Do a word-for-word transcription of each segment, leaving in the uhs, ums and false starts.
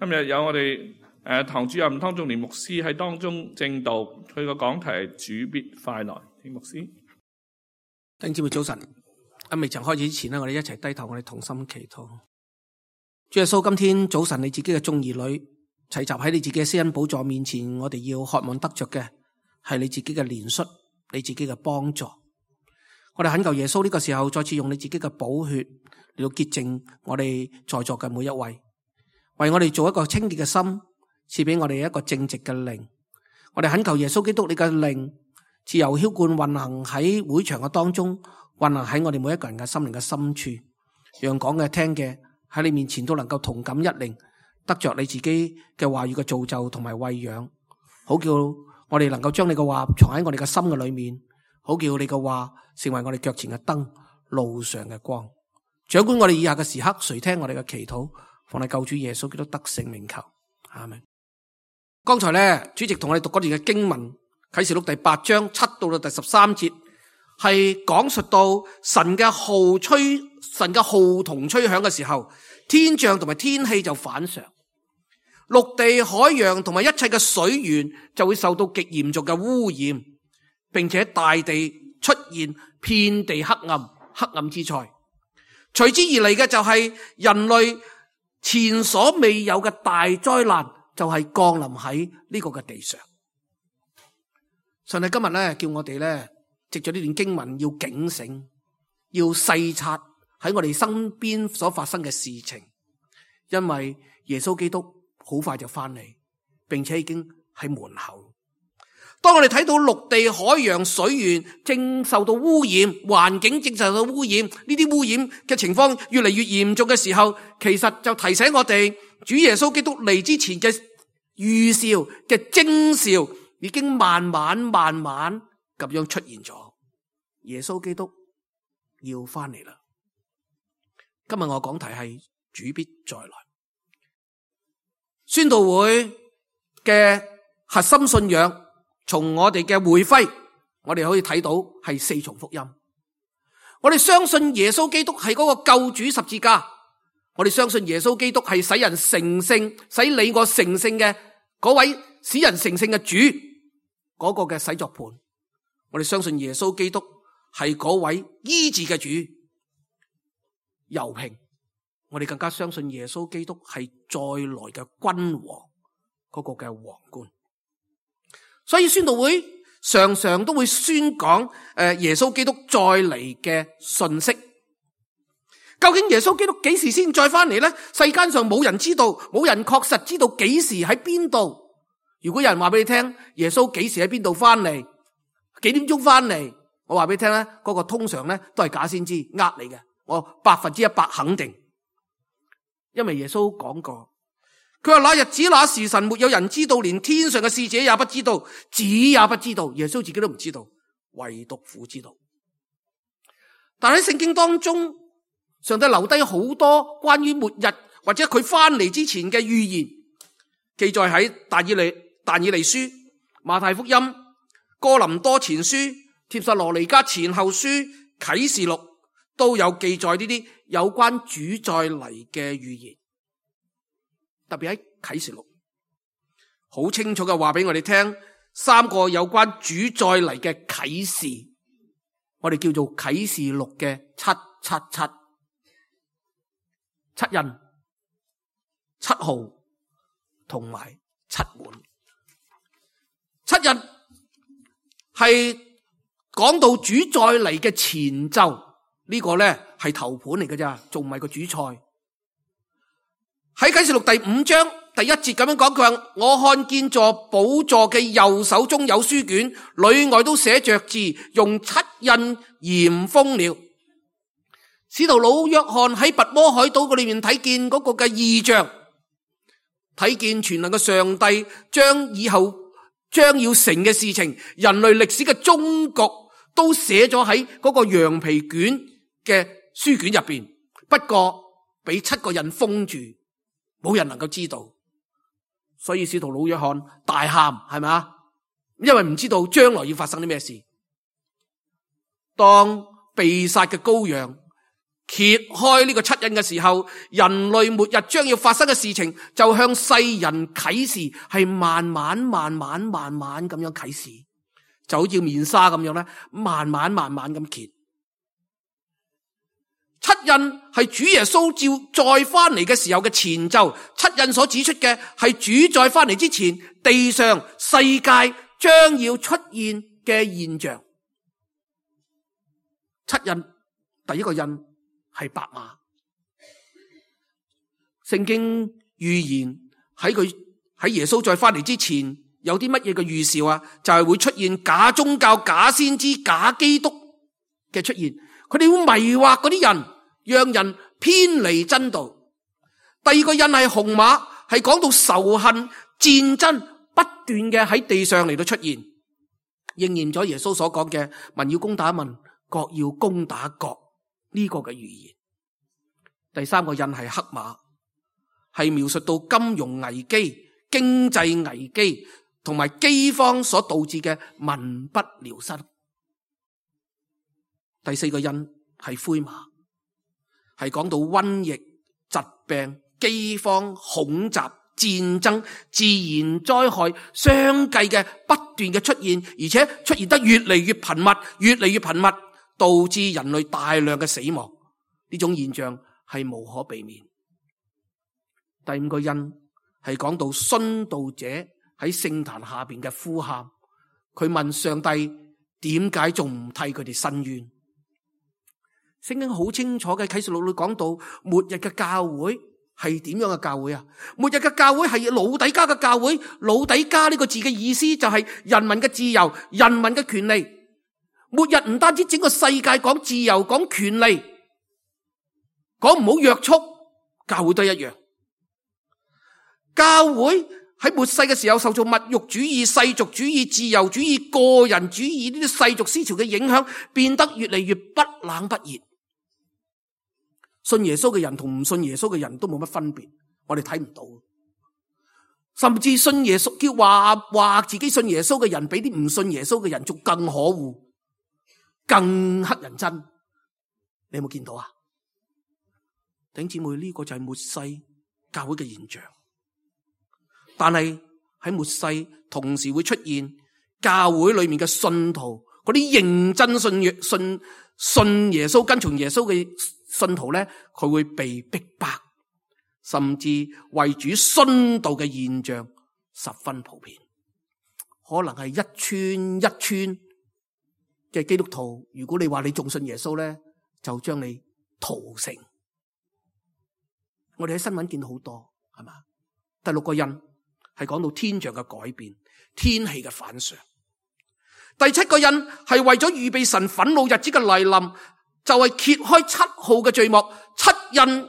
今日有我哋誒堂主任湯仲年牧師喺當中證道，佢個講題係主必快來。聽牧師。弟兄姊妹早晨，喺未曾開始之前呢，我哋一齊低頭，我哋同心祈禱。主耶穌，今天早晨你自己嘅眾兒女齊集喺你自己嘅施恩寶座面前，我哋要渴望得着嘅係你自己嘅憐恤，你自己嘅幫助。我哋懇求耶穌呢個時候再次用你自己嘅寶血嚟到潔淨我哋在座嘅每一位，為我哋做一個清潔嘅心，賜俾我哋一個正直嘅靈。我哋懇求耶穌基督你嘅靈自由澆灌運行喺會場嘅當中，運行喺我哋每一個人嘅心靈嘅深處，讓講嘅聽嘅喺你面前都能夠同感一靈，得着你自己嘅話語嘅造就同埋餵養，好叫我哋能夠將你嘅話藏喺我哋嘅心嘅裏面，好叫你嘅話成為我哋腳前嘅燈，路上嘅光。掌管我哋以下嘅時刻，垂聽我哋嘅祈禱，奉你救主耶穌基督得勝名求，阿們。剛才咧，主席同我哋讀嗰段嘅經文，啟示錄第八章七到到第十三節，係講述到神嘅號吹，神嘅號筒吹響嘅時候，天象同埋天氣就反常，陸地、海洋同埋一切嘅水源就會受到極嚴重嘅污染，並且大地出現遍地黑暗，黑暗之災。隨之而嚟嘅就係人類前所未有嘅大災難，就係降臨喺呢個嘅地上。上帝今日咧叫我哋咧藉住呢段經文要警醒，要細察喺我哋身邊所發生嘅事情，因為耶穌基督好快就翻嚟，並且已經喺門口。當我哋睇到陸地、海洋、水源正受到污染，環境正受到污染，呢啲污染嘅情況越嚟越嚴重嘅時候，其實就提醒我哋，主耶穌基督嚟之前嘅預兆嘅徵兆已經慢慢慢慢咁樣出現咗。耶穌基督要翻嚟啦。今日我講題係主必再來。宣道會嘅核心信仰，從我哋嘅會徽，我哋可以睇到係四重福音。我哋相信耶穌基督係嗰個救主十字架，我哋相信耶穌基督係使人成聖，使你我成聖嘅嗰位使人成聖嘅主，嗰個嘅洗作盤。我哋相信耶穌基督係嗰位醫治嘅主，柔平。我哋更加相信耶穌基督係再來嘅君王，嗰個嘅皇冠。所以宣道會常常都會宣講誒耶穌基督再嚟嘅信息。究竟耶穌基督幾時先再翻嚟呢？世間上冇人知道，冇人確實知道幾時喺邊度。如果有人話俾你聽耶穌幾時喺邊度翻嚟，幾點鐘翻嚟，我話俾你聽咧，嗰個通常咧都係假先知，呃你嘅，我百分之一百肯定。因為耶穌講過，佢話那日子那時辰沒有人知道，連天上嘅使者也不知道，子也不知道，耶穌自己都唔知道，唯獨父知道。但喺聖經當中，上帝留低好多關於末日或者佢翻嚟之前嘅預言，記載喺但以理但以理書、馬太福音、哥林多前書、帖撒羅尼迦前後書、啟示錄都有記載呢啲有關主再嚟嘅預言。特別喺啟示錄好清楚嘅話俾我哋聽，三個有關主再嚟嘅啟示，我哋叫做啟示錄嘅七七七七印、七號同埋七滿。七印係講到主再嚟嘅前奏，呢個咧係頭盤嚟嘅咋，仲唔係個主菜。喺啟示錄第五章第一節咁樣講，佢話我看見坐寶座嘅右手中有書卷，裏外都寫着字，用七印嚴封了。使徒老約翰喺拔摩海島嗰裏面睇見嗰個嘅異象，睇見全能嘅上帝將以後將要成嘅事情，人類歷史嘅終局都寫咗喺嗰個羊皮卷嘅書卷入邊，不過俾七個印封住，冇人能夠知道。所以使徒老約翰大喊，係咪啊？因為唔知道將來要發生啲咩事。當被殺嘅羔羊揭開呢個七印嘅時候，人類末日將要發生嘅事情就向世人啟示，係慢慢慢慢慢慢咁樣啟示，就好似面紗咁樣咧，慢慢慢慢咁揭。七印係主耶穌照再翻嚟嘅時候嘅前奏，七印所指出嘅係主再翻嚟之前，地上世界將要出現嘅現象。七印第一個印係白馬，聖經預言喺佢喺耶穌再翻嚟之前有啲乜嘢嘅預兆啊？就係會出現假宗教、假先知、假基督嘅出現，佢哋會迷惑嗰啲人，讓人偏離真道。第二個印係紅馬，係講到仇恨、戰爭不斷嘅喺地上嚟到出現，應驗咗耶穌所講嘅民要攻打民，國要攻打國呢個嘅預言。第三個印係黑馬，係描述到金融危機、經濟危機同埋饑荒所導致嘅民不聊生。第四個印係灰馬，係講到瘟疫、疾病、饑荒、恐襲、戰爭、自然災害相繼嘅不斷嘅出現，而且出現得越嚟越頻密，越嚟越頻密，導致人類大量嘅死亡。呢種現象係無可避免。第五個印係講到殉道者喺聖壇下邊嘅呼喊，佢問上帝點解仲唔替佢哋申冤？聖經好清楚嘅啟示錄裏講到末日嘅教會係點樣嘅教會啊？末日嘅教會係老底嘉嘅教會。老底嘉呢個字嘅意思就係人民嘅自由、人民嘅權利。末日唔單止整個世界講自由、講權利，講唔好約束，教會都一樣。教會喺末世嘅時候受到物欲主義、世俗主義、自由主義、個人主義呢啲世俗思潮嘅影響，變得越嚟越不冷不熱。信耶穌嘅人同唔信耶穌嘅人都冇乜分別，我哋睇唔到。甚至信耶穌叫話話自己信耶穌嘅人，比啲唔信耶穌嘅人仲更可惡，更乞人憎。你有冇見到啊？弟兄姊妹，呢個就係末世教會嘅現象。但係喺末世同時會出現教會裏面嘅信徒，嗰啲認真信耶信信耶穌、跟從耶穌嘅信徒咧，佢會被逼迫，甚至為主殉道嘅現象十分普遍。可能係一村一村嘅基督徒，如果你話你仲信耶穌咧，就將你屠城。我哋喺新聞見到好多，係嘛？第六個印係講到天象嘅改變，天氣嘅反常。第七個印係為咗預備神憤怒日子嘅來臨，就係揭開七號嘅序幕。七印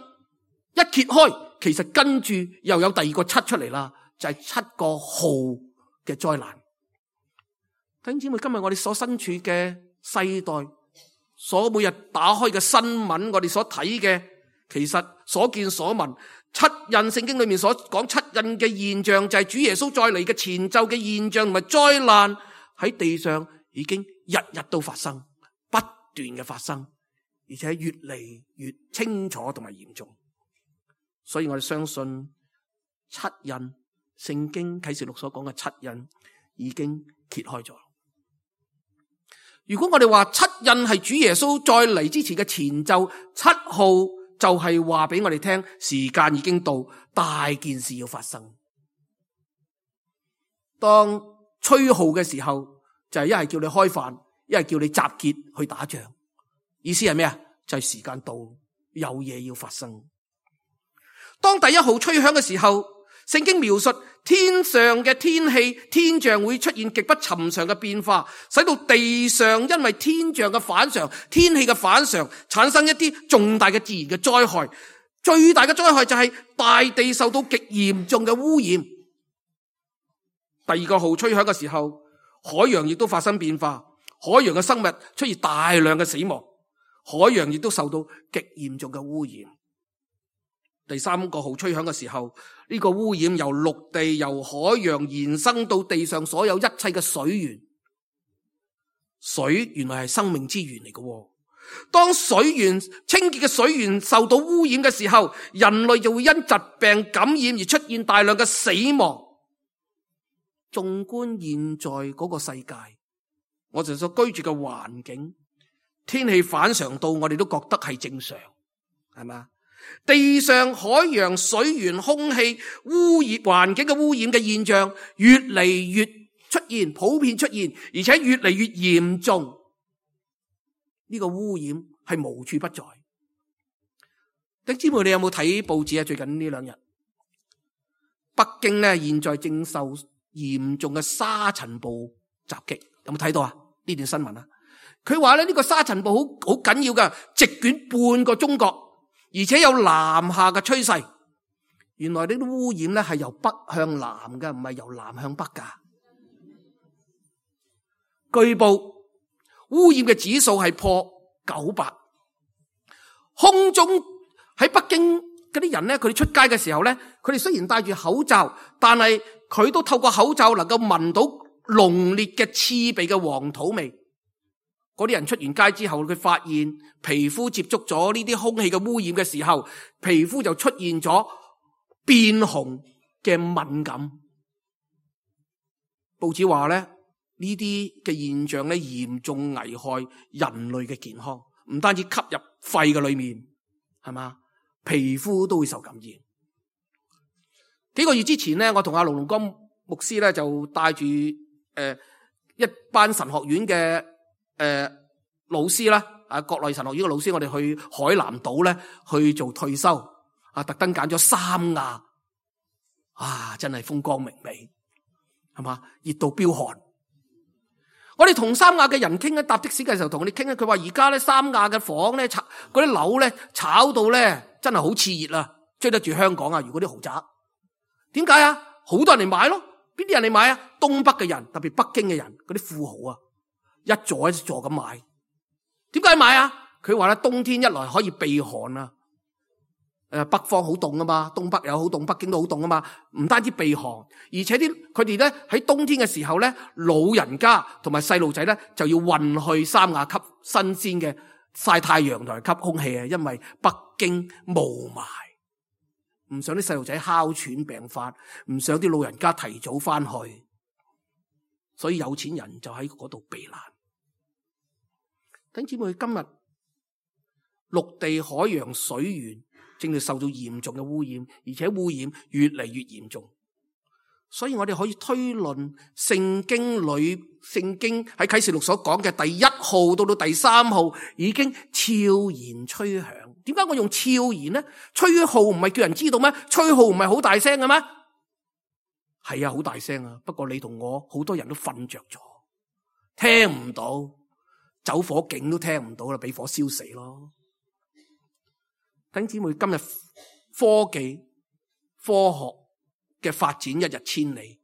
一揭開，其實跟住又有第二個七出嚟啦，就係七個號嘅災難。弟兄姊妹，今日我哋所身處嘅世代，所每日打開嘅新聞，我哋所睇嘅，其實所見所聞，七印聖經裏面所講七印嘅現象，就係主耶穌再嚟嘅前奏嘅現象同埋災難，喺地上已經日日都發生，不斷嘅發生，而且越嚟越清楚同埋嚴重。所以我哋相信七印，聖經啟示錄所講嘅七印已經揭開咗。如果我哋話七印係主耶穌再嚟之前嘅前奏，七號就係話俾我哋聽，時間已經到，大件事要發生。當吹號嘅時候，就係一係叫你開飯，一係叫你集結去打仗。意思係咩啊？就係時間到，有嘢要發生。當第一號吹響嘅時候，聖經描述天上嘅天氣、天象會出現極不尋常嘅變化，使到地上因為天象嘅反常、天氣嘅反常，產生一啲重大嘅自然嘅災害。最大嘅災害就係大地受到極嚴重嘅污染。第二個號吹響嘅時候，海洋亦都發生變化，海洋嘅生物出現大量嘅死亡，海洋亦都受到極嚴重嘅污染。第三個號吹響嘅時候，呢個污染由陸地、由海洋延伸到地上所有一切嘅水源。水原來係生命之源嚟嘅，當水源清潔嘅水源受到污染嘅時候，人類就會因疾病感染而出現大量嘅死亡。縱觀現在嗰個世界，我哋所居住嘅環境，天氣反常到我哋都覺得係正常，係嘛？地上、海洋、水源、空氣污染、環境嘅污染嘅現象越嚟越出現，普遍出現，而且越嚟越嚴重。呢個污染係無處不在。弟兄姊妹，你有冇睇報紙啊？最近呢兩日，北京咧現在正受嚴重嘅沙塵暴襲擊，有冇睇到啊？呢段新聞啊，佢話咧呢個沙塵暴好好緊要噶，席捲半個中國，而且有南下嘅趨勢。原來呢啲污染咧係由北向南嘅，唔係由南向北噶。據報污染嘅指數係破九百，空中喺北京嗰啲人咧，佢哋出街嘅時候咧，佢哋雖然戴住口罩，但係佢都透過口罩能夠聞到濃烈嘅刺鼻嘅黃土味。嗰啲人出完街之後，佢發現皮膚接觸咗呢啲空氣嘅污染嘅時候，皮膚就出現咗變紅嘅敏感。報紙話咧，呢啲嘅現象咧嚴重危害人類嘅健康，唔單止吸入肺嘅裏面，係嘛，皮膚都會受感染。幾個月之前咧，我同阿龍龍江牧師咧就帶住誒、呃、一班神學院嘅誒、呃、老師啦，啊國內神學院嘅老師，我哋去海南島咧去做退修，啊特登揀咗三亞，啊真係風光明媚，係嘛，熱到飆汗。我哋同三亞嘅人傾咧，搭的士嘅時候同佢哋傾咧，佢話而家咧三亞嘅房咧炒嗰啲樓咧炒到咧真係好熾熱啊，追得住香港啊！如果啲豪宅，點解啊？好多人嚟買咯，邊啲人嚟買啊？東北嘅人，特別北京嘅人，嗰啲富豪啊，一座一座咁買。點解買啊？佢話咧冬天一來可以避寒啊。誒，北方好凍啊嘛，東北又好凍，北京都好凍啊嘛，唔單止避寒，而且啲佢哋咧喺冬天嘅時候咧，老人家同埋細路仔咧就要運去三亞吸新鮮嘅曬太陽同埋吸空氣啊，因為北京霧霾，唔想啲細路仔哮喘病發，唔想啲老人家提早翻去，所以有錢人就喺嗰度避難。弟兄姊妹，今日陸地、海洋、水源正在受到嚴重嘅污染，而且污染越嚟越嚴重，所以我哋可以推論聖經裏聖經喺啟示錄所講嘅第一號到到第三號已經悄然吹響。點解我用悄然呢？吹號唔係叫人知道咩？吹號唔係好大聲嘅咩？係啊，好大聲啊！不過你同我好多人都瞓着咗，聽唔到，走火警都聽唔到啦，俾火燒死咯。弟兄姊妹，今日科技科學嘅發展一日千里，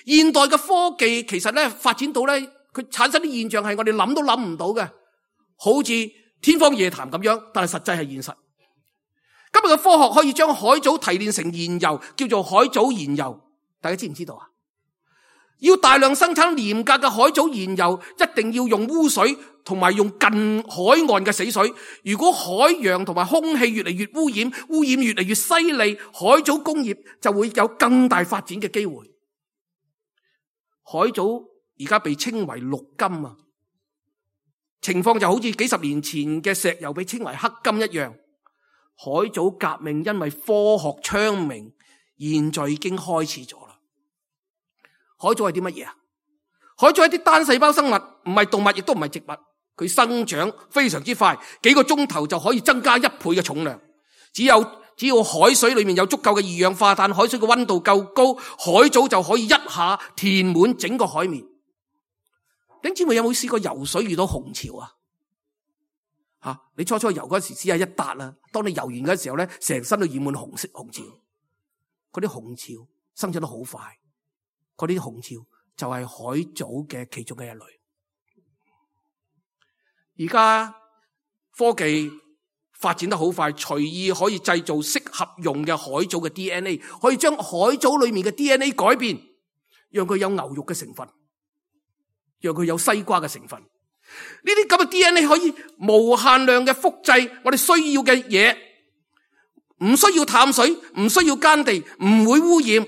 現代嘅科技其實咧發展到咧，佢產生啲現象係我哋諗都諗唔到嘅，好似天方夜譚咁樣，但係實際係現實。今日嘅科學可以將海藻提煉成燃油，叫做海藻燃油，大家知唔知道啊？要大量生產廉價嘅海藻燃油，一定要用污水同埋用近海岸嘅死水。如果海洋同埋空氣越嚟越污染，污染越嚟越犀利，海藻工業就會有更大發展嘅機會。海藻而家被稱為綠金啊，情況就好似幾十年前嘅石油被稱為黑金一樣。海藻革命因為科學昌明，現在已經開始咗啦。海藻係啲乜嘢啊？海藻係啲單細胞生物，唔係動物，亦都唔係植物。佢生長非常之快，幾個鐘頭就可以增加一倍嘅重量。只有只要海水裏面有足夠嘅二氧化碳，海水嘅溫度夠高，海藻就可以一下填滿整個海面。弟兄姊妹有冇試過游水遇到紅潮啊？吓、啊，你初初游嗰時只係一笪啦，當你游完嗰時候咧，成身都染滿紅色紅潮。嗰啲紅潮生長得好快。嗰啲紅潮就係海藻嘅其中嘅一類。而家科技發展得好快，隨意可以製造適合用嘅海藻嘅 D N A， 可以將海藻裏面嘅 D N A 改變，讓佢有牛肉嘅成分，讓佢有西瓜嘅成分。呢啲咁嘅 D N A 可以無限量嘅複製我哋需要嘅嘢，唔需要淡水，唔需要耕地，唔會污染。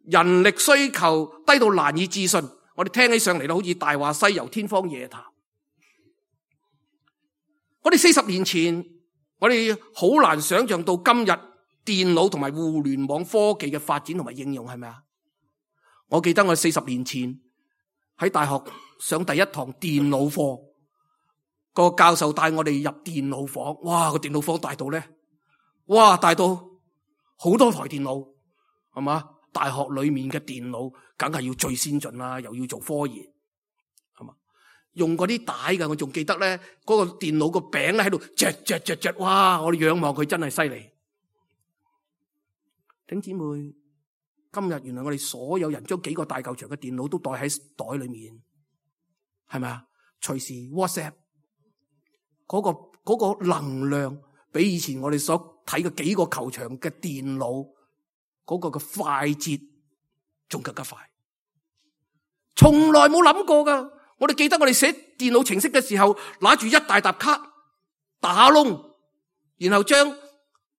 人力需求低到難以置信，我哋聽起上嚟都好似大話西遊、天方夜譚。我哋四十年前，我哋好難想象到今日電腦同埋互聯網科技嘅發展同埋應用，係咪啊？我記得我四十年前喺大學上第一堂電腦課，個教授帶我哋入電腦房，哇！個電腦房大到咧，哇！大到好多台電腦，係嘛？大學裏面嘅電腦梗係要最先進啦，又要做科研，係嘛？用嗰啲帶㗎，我仲記得咧，嗰個電腦個餅咧喺度嚼嚼嚼嚼，哇！我哋仰望佢真係犀利。弟兄姊妹，今日原來我哋所有人將幾個大嚿長嘅電腦都袋喺袋裏面，係咪啊？隨時 WhatsApp 嗰個嗰個能量，比以前我哋所睇嘅幾個球場嘅電腦嗰個嘅快捷仲更加快，從來冇諗過噶。我哋記得我哋寫電腦程式嘅時候，拿住一大沓卡打窿，然後將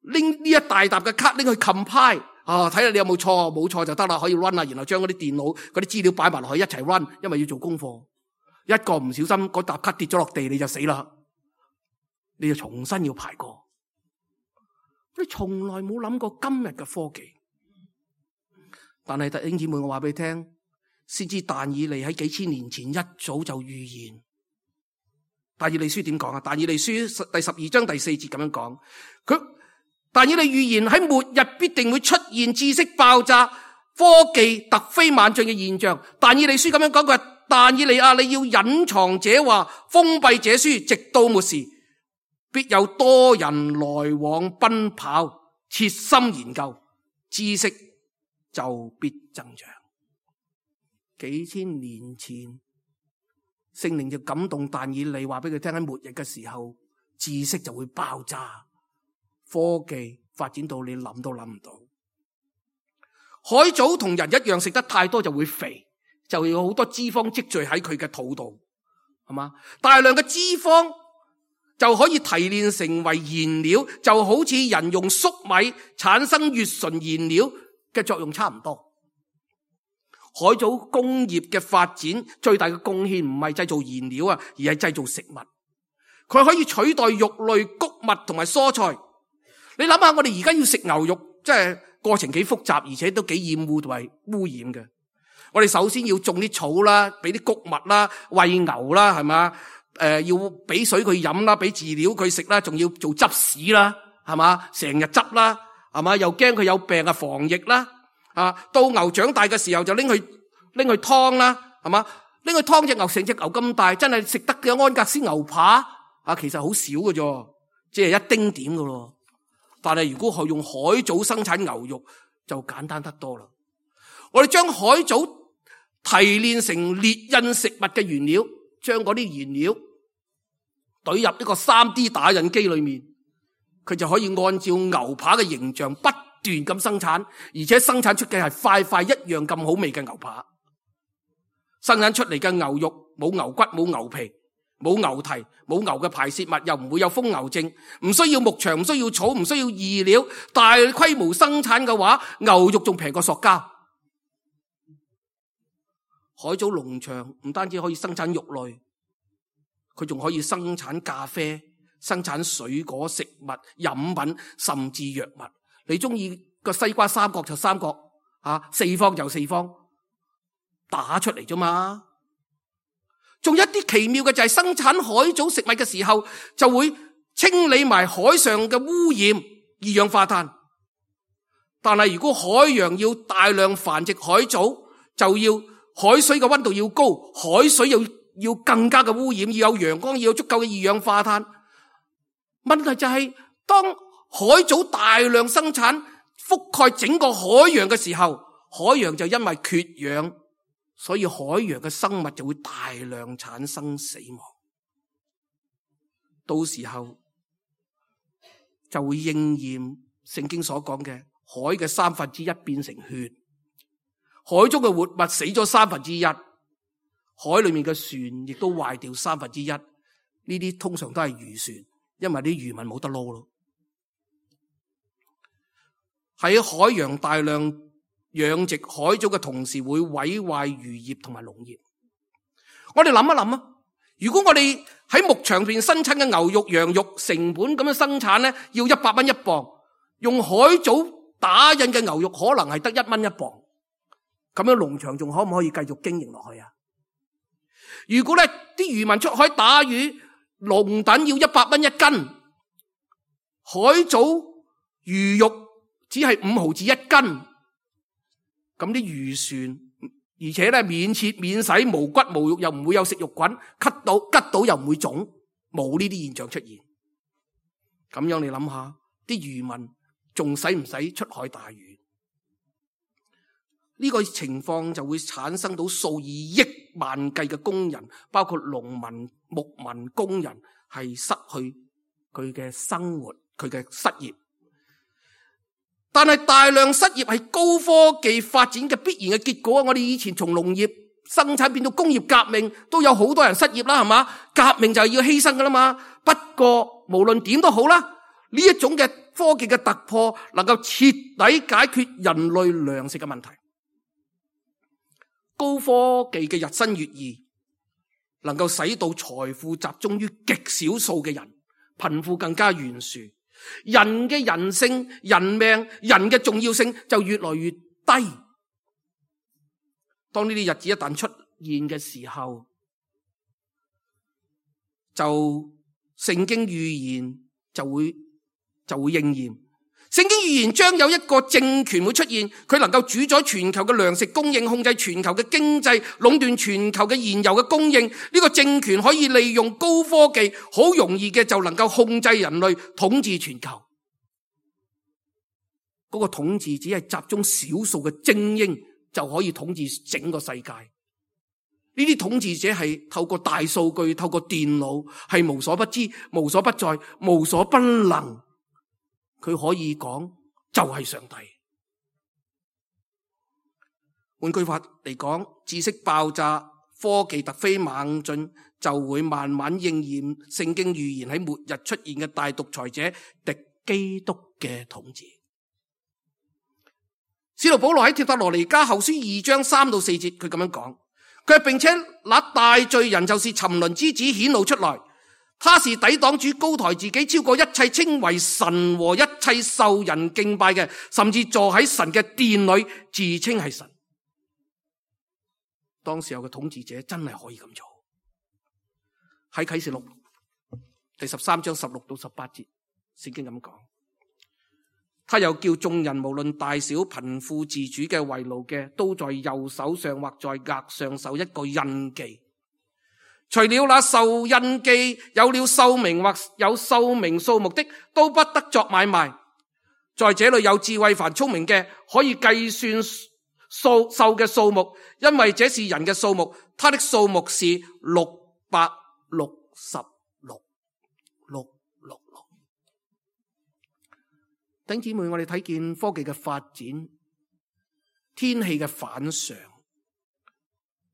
拎呢一大沓嘅卡拎去 compile 啊，睇下你有冇錯，冇錯就得啦，可以 run 啦。然後將嗰啲電腦嗰啲資料擺埋落去一齊 run，因為要做功課。一個唔小心嗰沓卡跌咗落地，你就死啦，你就重新要排過。你從來冇諗過今日嘅科技，但係弟兄姊妹，我話俾你聽，先知但以理喺幾千年前一早就預言。但以理書點講啊？但以理書第十二章第四節咁樣講，佢但以理預言喺末日必定會出現知識爆炸、科技突飛猛進嘅現象。但以理書咁樣講，佢話但以理啊，你要隱藏這話，封閉這書，直到末時，必有多人來往奔跑，切心研究，知識就必增長。幾千年前，聖靈就感動但以理，話俾佢聽喺末日嘅時候，知識就會爆炸，科技發展到你諗都諗唔到。海藻同人一樣，食得太多就會肥，就有好多脂肪積聚喺佢嘅肚度，係嘛？大量嘅脂肪就可以提煉成為燃料，就好似人用粟米產生乙醇燃料嘅作用差唔多。海藻工業嘅發展最大嘅貢獻唔係製造燃料啊，而係製造食物。佢可以取代肉類、穀物同埋蔬菜。你諗下，我哋而家要食牛肉，即係過程幾複雜，而且都幾厭惡同埋污染嘅。我哋首先要種啲草啦，俾啲穀物啦，餵牛啦，係嘛？誒、呃，要俾水佢飲啦，俾飼料佢食啦，仲要做執屎啦，係嘛？成日執啦，係嘛？又驚佢有病啊，防疫啦。啊，到牛長大嘅時候就拎去拎去劏啦，係嘛？拎去劏隻牛，成隻牛咁大，真係食得嘅安格斯牛扒啊，其實好少嘅啫，即係一丁點嘅咯。但係如果係用海藻生產牛肉，就簡單得多啦。我哋將海藻提煉成列印食物嘅原料，將嗰啲原料懟入一個 三 D 打印機裏面，佢就可以按照牛扒嘅形象不斷咁生產，而且生產出嘅係塊塊一樣咁好味嘅牛扒。生產出嚟嘅牛肉冇牛骨、冇牛皮、冇牛蹄、冇牛嘅排泄物，又唔會有瘋牛症，唔需要牧場、唔需要草、唔需要飼料。大規模生產嘅話，牛肉仲平過塑膠。海藻農場唔單止可以生產肉類，佢仲可以生產咖啡、生產水果、食物、飲品，甚至藥物。你中意個西瓜三角就三角，啊四方就四方，打出嚟啫嘛。仲有一啲奇妙嘅就係生產海藻食物嘅時候，就會清理埋海上嘅污染、二氧化碳。但係如果海洋要大量繁殖海藻，就要海水嘅溫度要高，海水又要更加嘅污染，要有陽光，要有足夠嘅二氧化碳。問題就係當海藻大量生產覆蓋整個海洋嘅時候，海洋就因為缺氧，所以海洋嘅生物就會大量產生死亡。到時候就會應驗聖經所講嘅海嘅三分之一變成血，海中嘅活物死咗三分之一，海海裏面嘅船亦都壞掉三分之一。呢啲通常都係漁船，因為啲漁民冇得撈咯。喺海洋大量養殖海藻嘅同時，會毀壞漁業同埋農業。我哋諗一諗啊，如果我哋喺牧場邊生產嘅牛肉、羊肉成本咁樣生產咧，要一百蚊一磅，用海藻打印嘅牛肉可能係得一蚊一磅，咁樣農場仲可唔可以繼續經營落去啊？如果咧啲漁民出海打魚，龍躉要一百蚊一斤，海藻魚肉只係五毫子一斤，咁啲漁船，而且咧免切免洗，無骨無肉，又唔會有食肉菌，咳到吉到又唔會腫，冇呢啲現象出現。咁樣你諗下，啲漁民仲使唔使出海打魚？呢個情況就會產生到數以億萬計嘅工人，包括農民、牧民、工人，係失去佢嘅生活，佢嘅失業。但係大量失業係高科技發展嘅必然嘅結果。我哋以前從農業生產變到工業革命，都有好多人失業啦，係嘛？革命就係要犧牲噶啦嘛。不過無論點都好啦，呢一種嘅科技嘅突破，能夠徹底解決人類糧食嘅問題。高科技嘅日新月異，能夠使到財富集中於極少數嘅人，貧富更加懸殊，人嘅人性、人命、人嘅重要性就越來越低。當呢啲日子一旦出現嘅時候，就聖經預言就會就會應驗。聖經預言將有一個政權會出現，佢能夠主宰全球嘅糧食供應，控制全球嘅經濟，壟斷全球嘅燃油嘅供應。呢個政權可以利用高科技，好容易嘅就能夠控制人類，統治全球。嗰個統治只係集中少數嘅精英就可以統治整個世界。呢啲統治者係透過大數據，透過電腦，係無所不知、無所不在、無所不能。佢可以講就係上帝。換句話嚟講，知識爆炸、科技突飛猛進，就會慢慢應驗聖經預言喺末日出現嘅大獨裁者敵基督嘅統治。使徒保羅喺帖撒羅尼迦後書二章三到四節，佢咁樣講，佢並且那大罪人就是沉淪之子顯露出來。他是抵擋主高抬自己超過一切稱為神和一切受人敬拜嘅，甚至坐喺神嘅殿裏自稱係神。當時候嘅統治者真係可以咁做。喺啟示錄第十三章十六到十八節，聖經咁講，他又叫眾人無論大小貧富自主嘅為奴嘅，都在右手上或在額上受一個印記。除了那受印記有了壽命或有壽命數目的，都不得作買賣。在這裏有智慧凡聰明嘅，可以計算數獸嘅數目，因為這是人嘅數目，它的數目是六百六十六，六六六。弟兄姊妹，我哋睇見科技嘅發展，天氣嘅反常，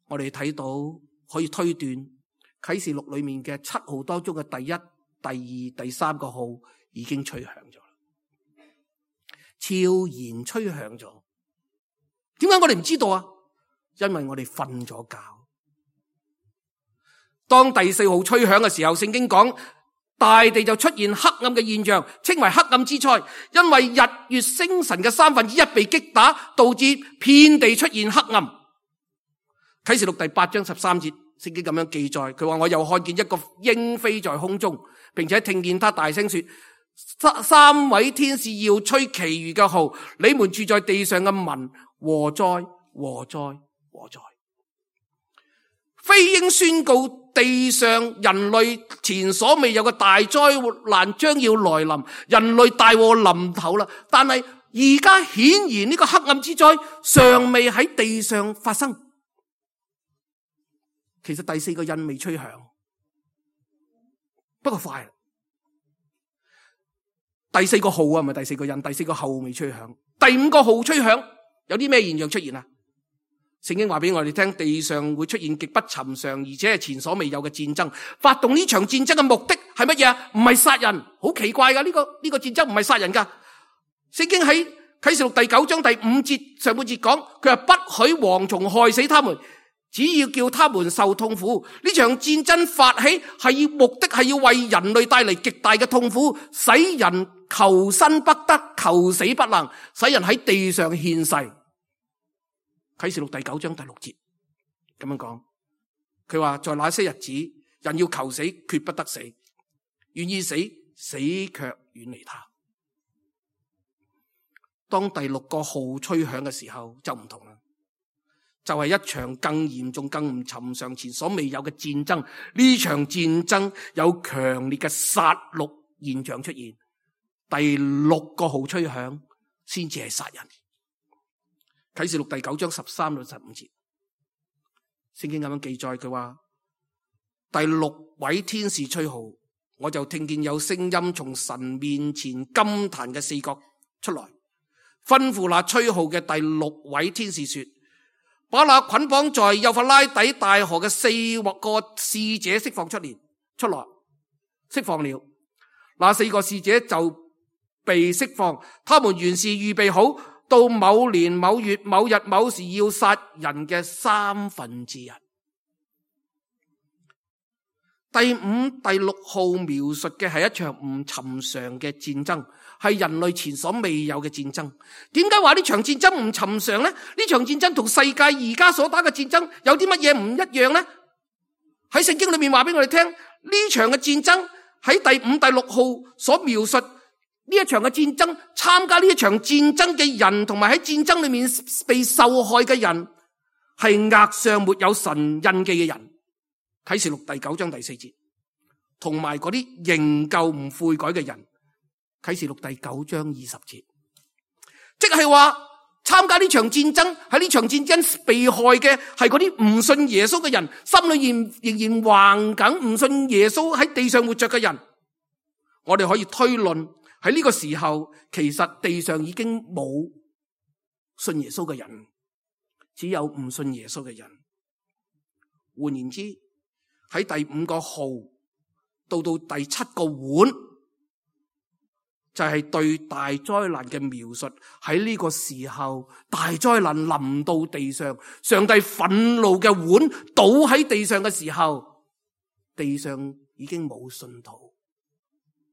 我哋睇到可以推斷。啟示錄裏面嘅七號當中嘅第一、第二、第三個號已經吹響咗，悄然吹響咗。點解我哋唔知道啊？因為我哋瞓咗覺。當第四號吹響嘅時候，聖經講大地就出現黑暗嘅現象，稱為黑暗之災，因為日月星辰嘅三分之一被擊打，導致遍地出現黑暗。啟示錄第八章十三節。聖經咁樣記載，佢話我又看見一個鷹飛在空中，並且聽見他大聲說，三位天使要吹其餘嘅號，你們住在地上嘅民，禍哉禍哉禍哉！飛鷹宣告地上人類前所未有嘅大災難將要來臨，人類大禍臨頭啦。但係而家顯然呢個黑暗之災尚未喺地上發生。其實第四個印未吹響，不過快啦。第四個號啊，唔係第四個印，第四個號未吹響。第五個號吹響，有啲咩現象出現啊？聖經話俾我哋聽，地上會出現極不尋常而且係前所未有嘅戰爭。發動呢場戰爭嘅目的係乜嘢啊？唔係殺人，好奇怪噶，呢個呢個戰爭唔係殺人噶。聖經喺啟示錄第九章第五節上半節講，佢話不許蝗蟲害死他們，只要叫他們受痛苦。呢場戰爭發起係要目的係要為人類帶嚟極大嘅痛苦，使人求生不得，求死不能，使人喺地上獻世。啟示錄第九章第六節咁樣講，佢話在那些日子，人要求死，決不得死；願意死，死卻遠離他。當第六個號吹響嘅時候，就唔同啦，就係一場更嚴重、更唔尋常、前所未有嘅戰爭。呢場戰爭有強烈嘅殺戮現象出現。第六個號吹響，先至係殺人。啟示錄第九章十三到十五節，聖經咁樣記載，佢話第六位天使吹號，我就聽見有聲音從神面前金壇嘅四角出來，吩咐那吹號嘅第六位天使說：把那捆綁在幼發拉底大河嘅四個使者釋放出嚟，出來釋放了。那四個使者就被釋放，他們原是預備好到某年某月某日某時要殺人嘅三分之一。第五、第六號描述嘅係一場唔尋常嘅戰爭，係人類前所未有嘅戰爭。點解話呢場戰爭唔尋常呢？呢場戰爭同世界而家所打嘅戰爭有啲乜嘢唔一樣呢？喺聖經裏面話俾我哋聽，呢場嘅戰爭喺第五、第六號所描述。呢一場嘅戰爭，參加呢一場戰爭嘅人，同埋喺戰爭裏面被受害嘅人，係額上沒有神印記嘅人。啟示錄第九章第四節，同埋嗰啲仍舊唔悔改嘅人。啟示錄第九章二十節，即係話參加呢場戰爭，喺呢場戰爭被害嘅係嗰啲唔信耶穌嘅人，心裏面仍然橫緊唔信耶穌喺地上活着嘅人。我哋可以推論。喺呢個時候，其實地上已經冇信耶穌嘅人，只有唔信耶穌嘅人。換言之，喺第五個號到到第七個碗，就係對大災難嘅描述。喺呢個時候，大災難臨到地上，上帝憤怒嘅碗倒喺地上嘅時候，地上已經冇信徒，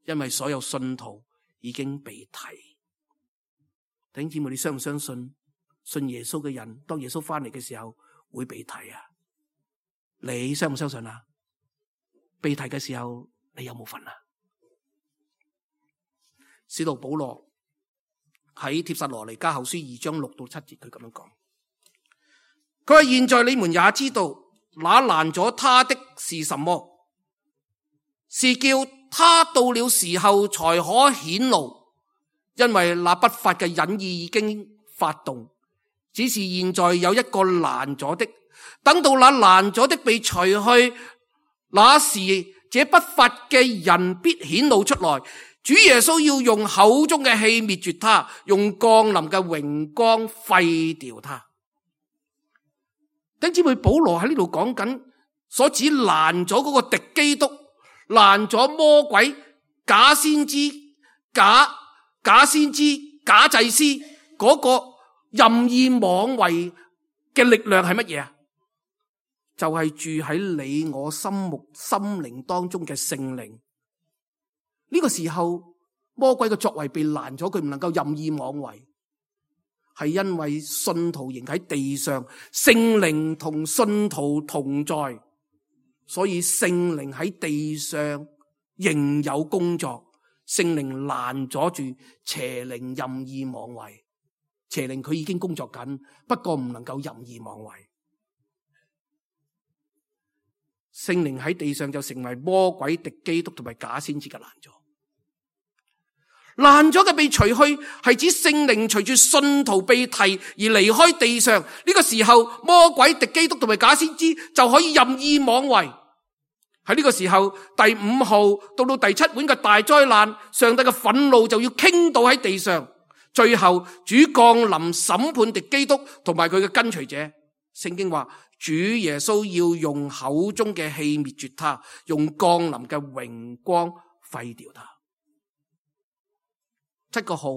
因為所有信徒已經被提。弟兄姊妹，你相唔相信信耶穌嘅人，當耶穌翻嚟嘅時候會被提啊？你相唔相信啊？被提嘅時候，你有冇份啊？使徒保羅喺帖撒羅尼迦後書二章六到七節，佢咁樣講，佢話：現在你們也知道，那攔咗他的是什麼？是叫他到了時候才可顯露，因為那不法嘅隱意已經發動，只是現在有一個攔咗的，等到那攔咗的被除去，那時這不法嘅人必顯露出來。主耶穌要用口中嘅氣滅絕他，用降臨嘅榮光廢掉他。弟兄姊妹，保羅喺呢度講緊所指攔咗嗰個敵基督，攔咗魔鬼、假先知、假假先知、假祭司嗰個任意妄為嘅力量係乜嘢啊？就係、是、住喺你我心目心靈當中嘅聖靈。呢、這個時候魔鬼嘅作為被攔咗，佢唔能夠任意妄為，係因為信徒仍喺地上，聖靈同信徒同在，所以聖靈喺地上仍有工作。聖靈攔咗住邪靈任意妄為，邪靈佢已經工作緊，不過唔能夠任意妄為。聖靈喺地上就成為魔鬼、敵基督同埋假先知嘅攔咗。攔咗嘅被除去，係指聖靈隨住信徒被提而離開地上。呢個時候，魔鬼、敵基督同埋假先知就可以任意妄為。喺呢個時候，第五號到到第七碗嘅大災難，上帝嘅憤怒就要傾倒喺地上。最後，主降臨審判敵基督同埋佢嘅跟隨者。聖經話主耶穌要用口中嘅氣滅絕他，用降臨嘅榮光廢掉他。七個號，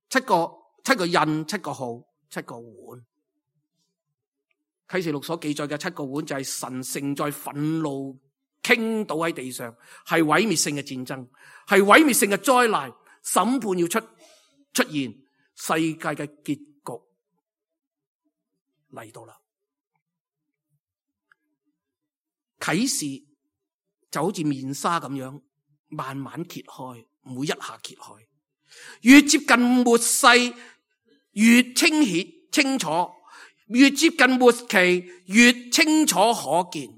七個七個印，七個號，七個碗。啟示錄所記載嘅七個碗就係神盛載憤怒傾倒喺地上，係毀滅性嘅戰爭，係毀滅性嘅災難，審判要出出現，世界嘅結局嚟到啦。啟示就好似面紗咁樣慢慢揭開，唔會一下揭開，越接近末世越清顯清楚，越接近末期越清楚可見。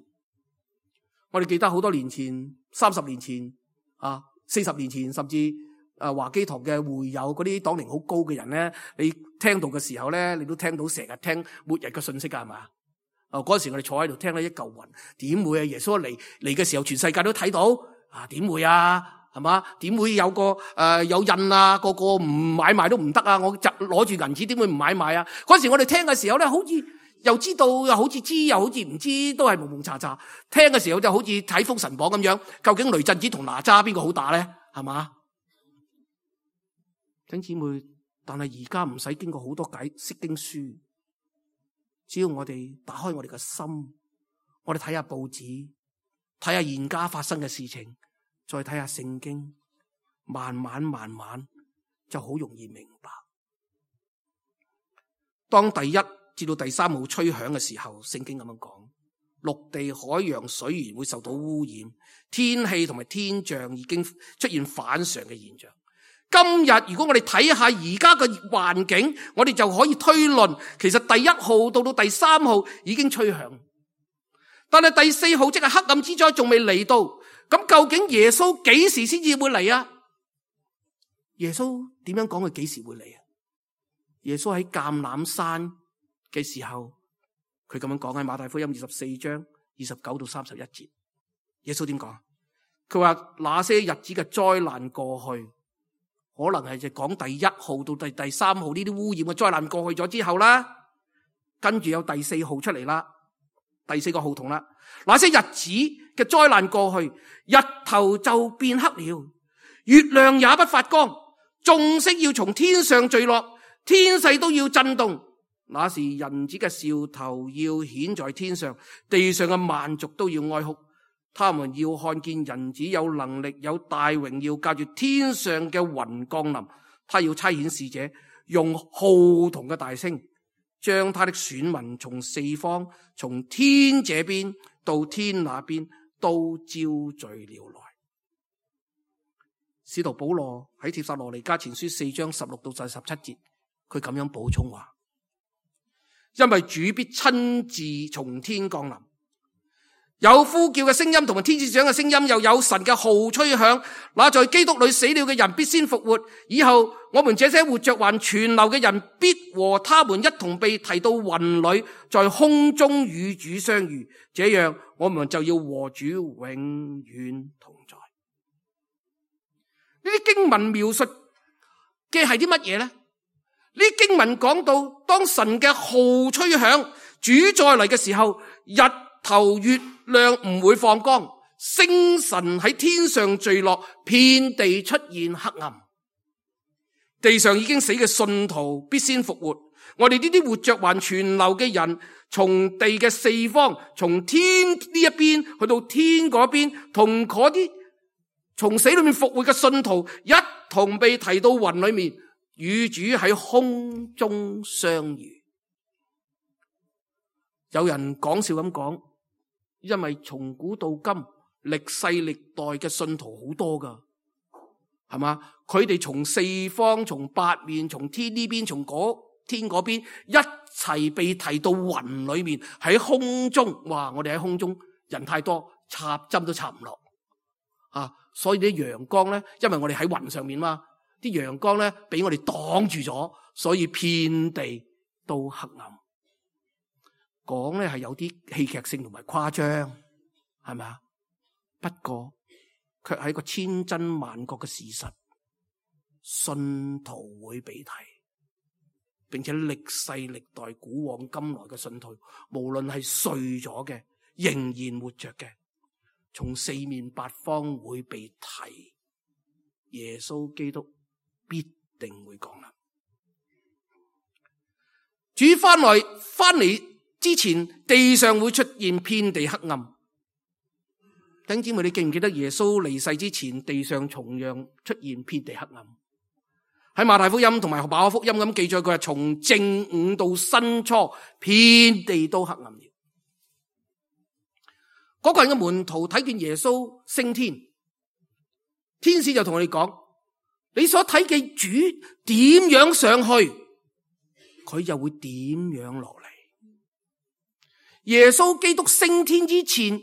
我哋記得好多年前，三十年前啊，四十年前，甚至誒華基堂嘅會友嗰啲黨齡好高嘅人咧，你聽到嘅時候咧，你都聽到成日聽末日嘅信息噶，係嘛？啊，嗰時我哋坐喺度聽咧一嚿雲，點會啊？耶穌嚟嚟嘅時候，全世界都睇到啊？點會啊？係嘛？點會有個誒、呃、有印啊？個個唔買賣都唔得啊！我就攞住銀紙，點會唔買賣啊？嗰時我哋聽嘅時候咧，好似又知道，又好似知，又好似唔知，都係蒙蒙查查。聽嘅時候就好似睇封神榜咁樣，究竟雷震子同哪吒邊個好打咧？係嘛？弟兄姊妹，但係而家唔使經過好多解釋經書，只要我哋打開我哋嘅心，我哋睇下報紙，睇下現家發生嘅事情，再睇下聖經，慢慢慢慢就好容易明白。當第一至到第三號吹響嘅時候，聖經咁樣講，陸地、海洋、水源會受到污染，天氣同埋天象已經出現反常嘅現象。今日如果我哋睇下而家嘅環境，我哋就可以推論，其實第一號到到第三號已經吹響，但係第四號即係黑暗之災仲未嚟到。咁究竟耶穌幾時先至會嚟啊？耶穌點樣講佢幾時會嚟啊？耶穌喺橄欖山嘅時候，佢咁樣講喺馬太福音二十四章二十九到三十一節。耶穌點講？佢話那些日子嘅災難過去，可能係就講第一號到第第三號呢啲污染嘅災難過去咗之後啦，跟住有第四號出嚟啦，第四個號筒啦。那些日子嘅災難過去，日頭就變黑了，月亮也不發光，眾星要從天上墜落，天勢都要震動。那時人子嘅兆頭要顯在天上，地上嘅萬族都要哀哭。他們要看見人子有能力，有大榮耀，駕住天上嘅雲降臨。他要差遣使者，用號筒嘅大聲，將他的選民從四方，從天這邊到天那邊都招聚了來。使徒保羅喺帖撒羅尼迦前書四章十六到十七節，佢咁樣補充話：因為主必親自從天降臨，有呼叫嘅聲音同埋天使長嘅聲音，又有神嘅號吹響。那在基督裏死了嘅人必先復活，以後我們這些活着還存留嘅人，必和他們一同被提到雲裏，在空中與主相遇。這樣我們就要和主永遠同在。呢啲經文描述嘅係啲乜嘢呢？呢啲經文講到當神嘅號吹響，主再嚟嘅時候，日頭月亮唔會放光，星辰喺天上墜落，遍地出現黑暗。地上已經死嘅信徒必先復活，我哋呢啲活着還存留嘅人，從地嘅四方，從天呢一邊去到天嗰邊，同嗰啲從死裏面復活嘅信徒一同被提到雲裏面，與主喺空中相遇。有人講笑咁講，因為從古到今，歷世歷代嘅信徒好多噶，係嘛？佢哋從四方、從八面、從天呢邊、從嗰天嗰邊，一齊被提到雲裏面，喺空中。哇！我哋喺空中，人太多，插針都插唔落啊！所以啲陽光咧，因為我哋喺雲上面嘛，啲陽光咧俾我哋擋住咗，所以遍地都黑暗。講咧係有啲戲劇性同埋誇張，係咪啊？不過卻係一個千真萬確嘅事實，信徒會被提，並且歷世歷代古往今來嘅信徒，無論係睡咗嘅，仍然活着嘅，從四面八方會被提，耶穌基督必定會降臨。主翻來翻嚟之前，地上會出現遍地黑暗。弟兄姊妹，你記唔記得耶穌離世之前，地上同樣出現遍地黑暗？喺馬太福音同埋馬可福音咁記載，佢係從正午到申初，遍地都黑暗了。嗰個人嘅門徒睇見耶穌升天，天使就同佢哋講：你所睇嘅主點樣上去，佢就會點樣落嚟。耶穌基督升天之前，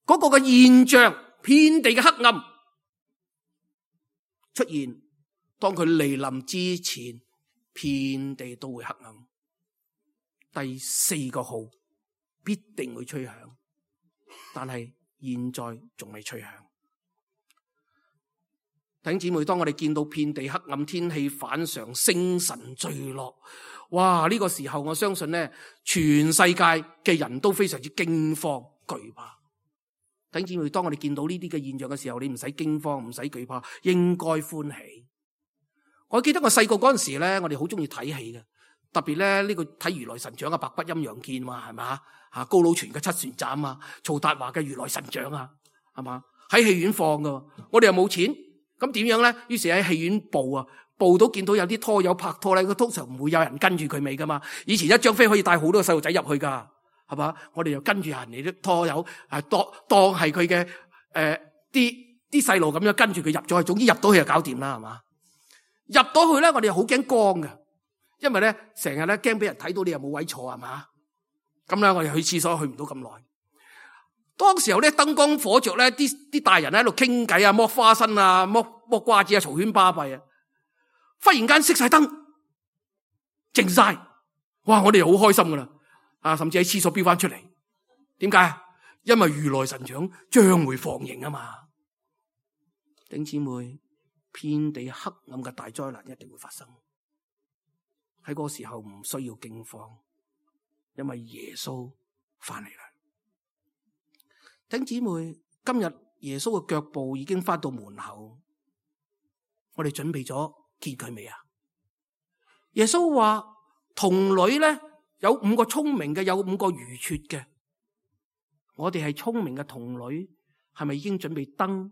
嗰個嘅現象，遍地嘅黑暗出現。當佢嚟臨之前，遍地都會黑暗。第四個號必定會吹響，但係現在仲未吹響。弟兄姊妹，當我哋見到遍地黑暗，天氣反常，星辰墜落，哇！呢個時候我相信咧，全世界嘅人都非常之驚慌懼怕。弟兄姊妹，當我哋見到呢啲嘅現象嘅時候，你唔使驚慌，唔使懼怕，應該歡喜。我記得我細個嗰陣時咧，我哋好中意睇戲嘅，特別咧呢個睇如來神掌啊，白骨陰陽劍嘛，係嘛吓，高佬全嘅七船斬啊，曹達華嘅如來神掌啊，係嘛，喺戲院放噶，我哋又冇錢，咁點樣咧？於是喺戲院報啊，報到見到有啲拖友拍拖咧，佢通常唔會有人跟住佢尾噶嘛。以前一張飛可以帶好多個細路仔入去噶，係嘛？我哋又跟住人哋啲拖友，係當當係佢嘅誒啲啲細路咁樣跟住佢入咗去，總之入到去就搞掂啦，係嘛？入到去咧，我哋又好驚光嘅，因為咧成日咧驚俾人睇到你又冇位坐，係嘛？咁咧我哋去廁所去唔到咁耐。當時候咧燈光火着咧，啲啲大人喺度傾偈啊，剝花生啊，剝剝瓜子啊，嘈喧巴閉啊。忽然間熄晒燈，靜晒，哇！我哋又好開心噶啦，啊，甚至喺廁所飆翻出嚟。點解？因為如來神掌將會放映啊嘛。弟兄姊妹，遍地黑暗嘅大災難一定會發生。喺嗰個時候唔需要驚慌，因為耶穌翻嚟啦。弟兄姊妹，今日耶穌嘅腳步已經翻到門口，我哋準備咗見佢未啊？耶穌話童女咧有五個聰明嘅，有五個愚拙嘅。我哋係聰明嘅童女，係咪已經準備燈、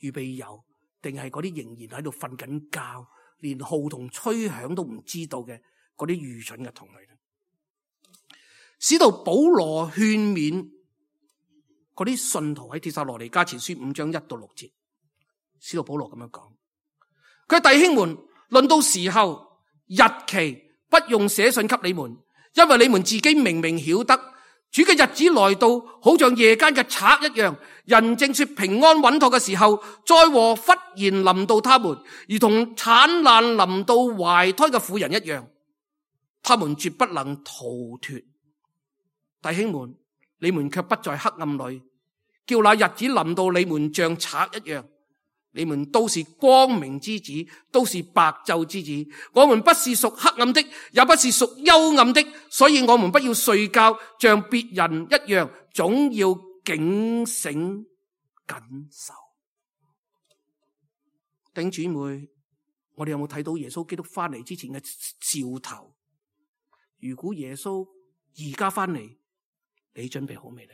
預備油？定係嗰啲仍然喺度瞓緊覺，連號同吹響都唔知道嘅嗰啲愚蠢嘅童女咧？使徒保羅勸勉嗰啲信徒喺帖撒羅尼迦前書五章一到六節，使徒保羅咁樣講：佢弟兄們，論到時候日期，不用寫信給你們，因為你們自己明明曉得，主嘅日子來到，好像夜間嘅賊一樣。人正說平安穩妥嘅時候，災禍忽然臨到他們，如同產難臨到懷胎嘅婦人一樣，他們絕不能逃脫。弟兄們，你們卻不在黑暗裏，叫那日子臨到你們像賊一樣。你們都是光明之子，都是白晝之子。我們不是屬黑暗的，也不是屬幽暗的，所以我們不要睡覺，像別人一樣，總要警醒謹守。弟兄姊妹，我哋有冇睇到耶穌基督翻嚟之前嘅兆頭？如果耶穌而家翻嚟，你準備好未呢？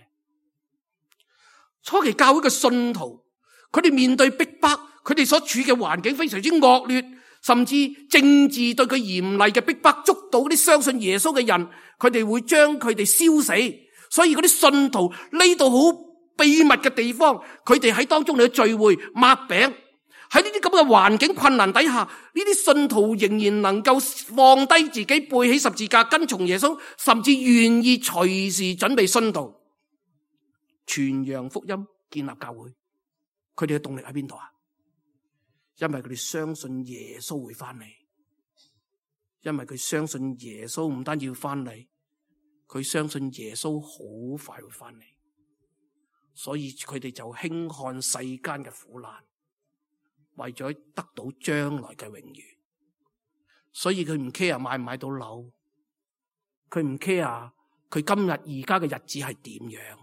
初期教會嘅信徒，佢哋面對逼迫，佢哋所處嘅環境非常之惡劣，甚至政治對佢嚴厲嘅逼迫，捉到啲相信耶穌嘅人，佢哋會將佢哋燒死。所以嗰啲信徒呢度好秘密嘅地方，佢哋喺當中嚟聚會擘餅。喺呢啲咁嘅環境困難底下，呢啲信徒仍然能夠放低自己，背起十字架跟從耶穌，甚至願意隨時準備殉道，傳揚福音，建立教會。佢哋嘅動力喺邊度啊？因為佢哋相信耶穌會翻嚟，因為佢相信耶穌唔單止要翻嚟，佢相信耶穌好快會翻嚟，所以佢哋就輕看世間嘅苦難，為咗得到將來嘅榮譽。所以佢唔 care 買唔買到樓，佢唔 care 佢今日而家嘅日子係點樣，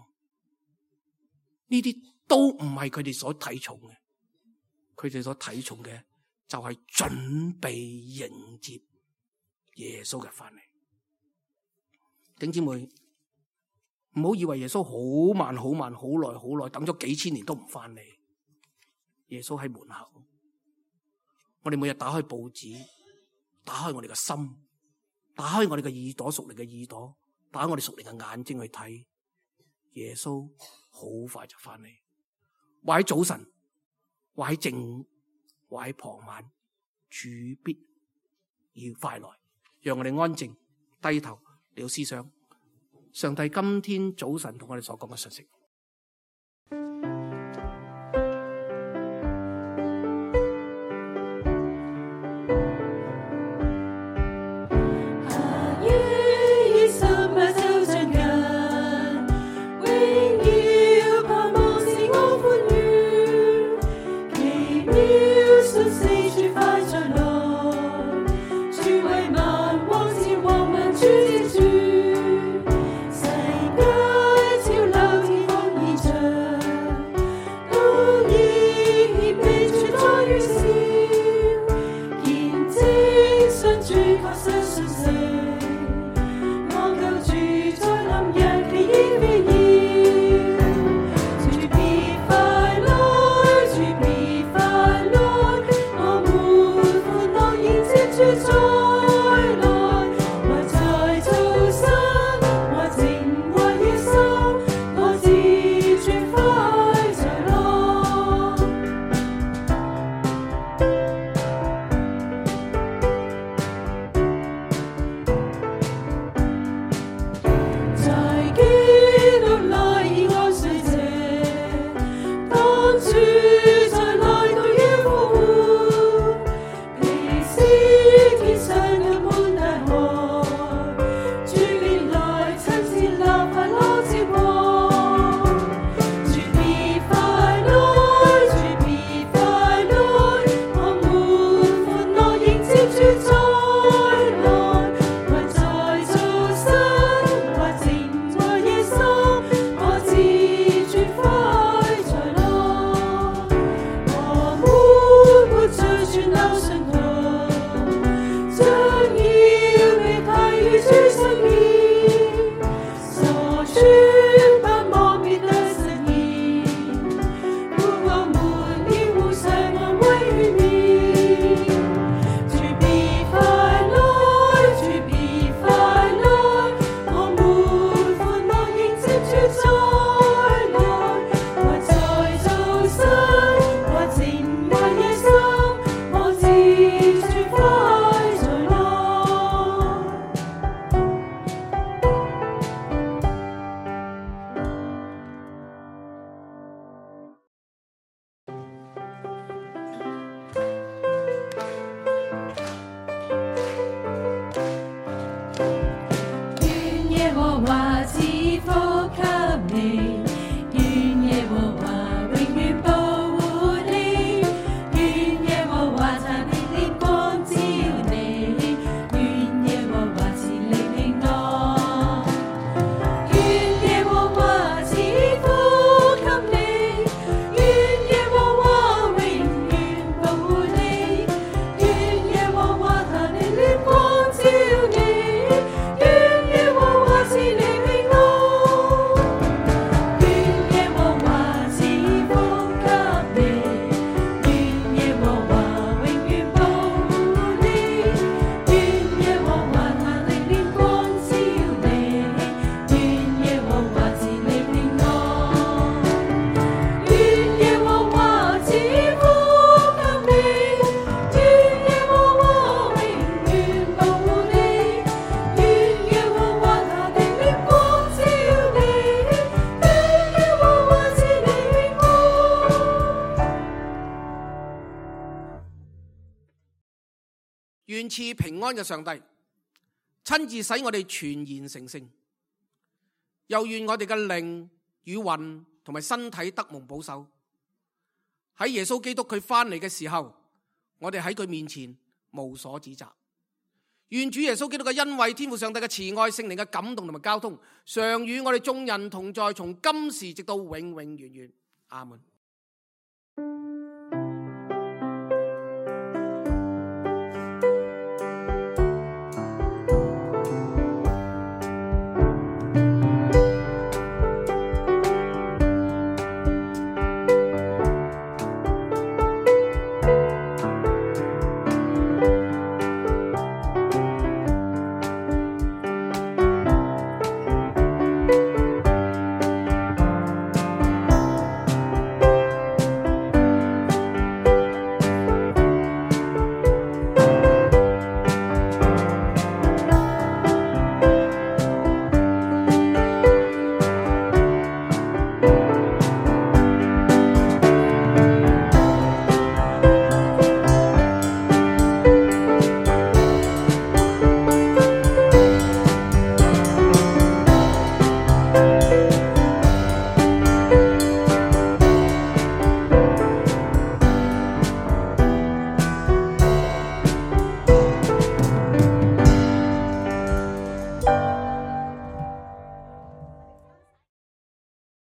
呢啲都唔係佢哋所睇重嘅，佢哋所睇重嘅就係準備迎接耶穌嘅翻嚟。弟兄姊妹，唔好以為耶穌好慢好慢好耐好耐，等咗幾千年都唔翻嚟。耶穌喺門口，我哋每日打開報紙，打開我哋嘅心，打開我哋嘅耳朵，屬靈嘅耳朵，打開我哋屬靈嘅眼睛去睇，耶穌好快就翻嚟。或喺早晨，或喺正，或喺傍晚，主必要快來。讓我哋安靜低頭嚟到思想上帝今天早晨同我哋所講嘅信息。願賜平安嘅上帝親自使我哋全然成聖，又願我哋嘅靈與魂同埋身體得蒙保守。喺耶穌基督佢翻嚟嘅時候，我哋喺佢面前無所指責。願主耶穌基督嘅恩惠、天父上帝嘅慈愛、聖靈嘅感動同埋交通，常與我哋眾人同在，從今時直到永永遠遠。阿門。